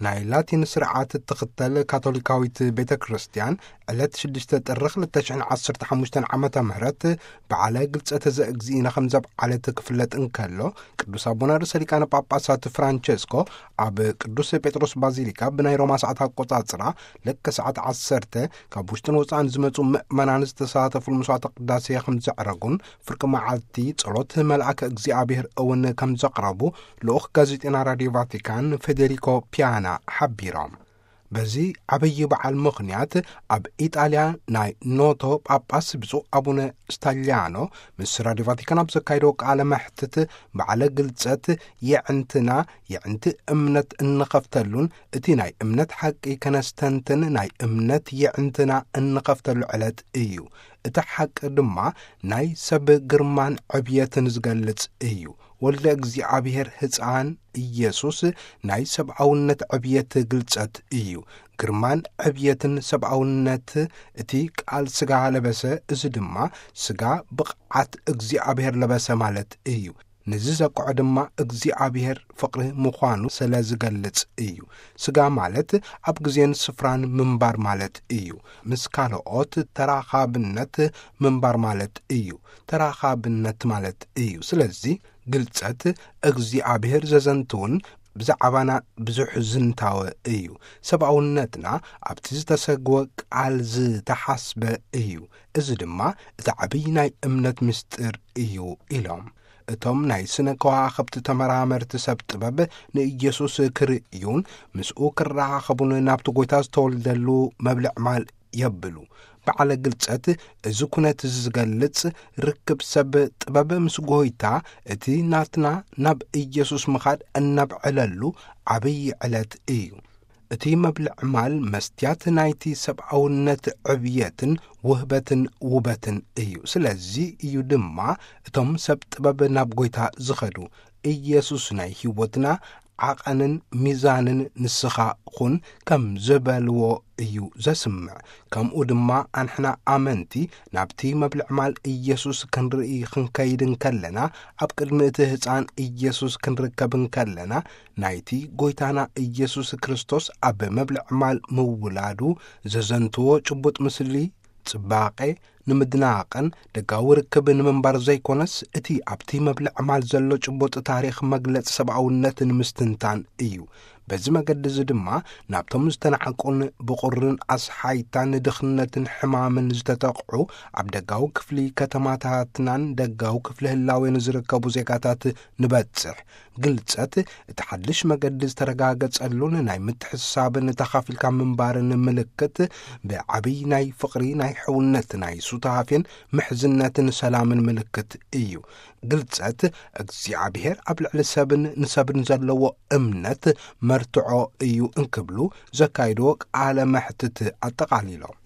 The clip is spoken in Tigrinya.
ናይ ላቲን ስርዓት እትኽተል ካቶሊካዊት ቤተ ክርስቲያን፣ ዕለት ሽዱሽተ ጥሪ ክልተ ሽሕን ዓሰርተ ሓሙሽተን ዓመተ ምህረት በዓለ ግልጸተ ዘእግዚእነ ከም ዘብዓለት ክፍለጥ እንከሎ፣ ቅዱስ ኣቡነ ርእሰ ሊቃነ ጳጳሳት ፍራንቸስኮ ኣብ ቅዱስ ጴጥሮስ ባዚሊካ ብናይ ሮማ ሰዓት ኣቆጻጽራ ልክዕ ሰዓት ዓሰርተ ካብ ውሽጥን ወጻእን ዝመጹ ምእመናን ዝተሳተፉሉ መስዋዕተ ቅዳሴ ከም ዘዕረጉን፣ ፍርቂ መዓልቲ ጸሎት መልኣከ እግዚኣብሔር እውን ከም ዘቕረቡ ልኡኽ ጋዜጠና ራድዮ ቫቲካን ፌዴሪኮ ፒያና ሓቢሮም። በዚ ዓብዪ በዓል ምኽንያት ኣብ ኢጣልያ ናይ ኖቶ ጳጳስ ብፁዕ ኣቡነ ስታሊያኖ ምስ ራድዮ ቫቲካን ኣብ ዘካየደዎ ቃለ መሕትት፣ በዓለ ግልጸት የዕንትና፣ የዕንቲ እምነት እንኸፍተሉን እቲ ናይ እምነት ሓቂ ከነስተንትን ናይ እምነት የዕንትና እንኸፍተሉ ዕለት እዩ። እቲ ሓቂ ድማ ናይ ሰብ ግርማን ዕብየትን ዝገልጽ እዩ። ወልደ እግዚኣብሔር ህፃን ኢየሱስ ናይ ሰብኣውነት ዕብየት ግልጸት እዩ። ግርማን ዕብየትን ሰብኣውነት እቲ ቃል ስጋ ለበሰ፣ እዚ ድማ ስጋ ብቕዓት እግዚኣብሔር ለበሰ ማለት እዩ። ነዚ ዘብቅዖ ድማ እግዚኣብሔር ፍቕሪ ምዃኑ ስለ ዝገልጽ እዩ። ስጋ ማለት ኣብ ግዜን ስፍራን ምንባር ማለት እዩ። ምስ ካልኦት ተራኻብነት ምንባር ማለት እዩ። ተራኻብነት ማለት እዩ። ስለዚ ግልጸት እግዚኣብሔር ዘዘንትውን ብዛዕባና ብዙሕ ዝንታወ እዩ። ሰብኣውነትና ኣብቲ ዝተሰግወ ቃል ዝተሓስበ እዩ። እዚ ድማ እቲ ዓብዪ ናይ እምነት ምስጢር እዩ ኢሎም። እቶም ናይ ስነ ከዋኽብቲ ተመራመርቲ ሰብ ጥበብ ንኢየሱስ ክርእዩን ምስኡ ክረኻኸቡን ናብቲ ጐይታ ዝተወልደሉ መብልዕ ማል የብሉ። በዓለ ግልጸት እዚ ኩነት እዚ ዝገልጽ ርክብ ሰብ ጥበብ ምስ ጐይታ፣ እቲ ናትና ናብ ኢየሱስ ምኻድ እነብዕለሉ ዓብዪ ዕለት እዩ። እቲ መብልዕ ማል መስትያት ናይቲ ሰብኣውነት ዕብየትን ውህበትን ውበትን እዩ። ስለዚ እዩ ድማ እቶም ሰብ ጥበብ ናብ ጐይታ ዝኸዱ። ኢየሱስ ናይ ህይወትና ዓቐንን ሚዛንን ንስኻ ኹን ከም ዝበልዎ እዩ ዘስምዕ። ከምኡ ድማ ኣንሕና ኣመንቲ ናብቲ መብልዕ ማል ኢየሱስ ክንርኢ ክንከይድ እንከለና፣ ኣብ ቅድሚ እቲ ህፃን ኢየሱስ ክንርከብ እንከለና፣ ናይቲ ጐይታና ኢየሱስ ክርስቶስ ኣብ መብልዕ ማል ምውላዱ ዘዘንትዎ ጭቡጥ ምስሊ ጽባቐ ንምድናቕን ደጋዊ ርክብ ንምንባር ዘይኮነስ፣ እቲ ኣብቲ መብልዕ ማል ዘሎ ጭቡጥ ታሪኽ መግለጺ ሰብኣውነት ንምስትንታን እዩ። በዚ መገዲ እዚ ድማ ናብቶም ዝተናዕቁን ብቑርን ኣስሓይታን ድኽነትን ሕማምን ዝተጠቕዑ ኣብ ደጋዊ ክፍሊ ከተማታትናን ደጋዊ ክፍሊ ህላዌን ዝርከቡ ዜጋታት ንበጽሕ። ግልጸት እቲ ሓድሽ መገዲ ዝተረጋገጸሉን ናይ ምትሕስሳብን ተኻፊልካ ምንባርን ምልክት፣ ብዓብይ ናይ ፍቕሪ፣ ናይ ሕውነት፣ ናይ ሱታፌን ምሕዝነትን ሰላምን ምልክት እዩ። ግልጸት እግዚኣብሔር ኣብ ልዕሊ ሰብን ንሰብን ዘለዎ እምነት መርትዖ እዩ እንክብሉ ዘካይድዎ ቃለ መሕትት ኣጠቓሊሎም።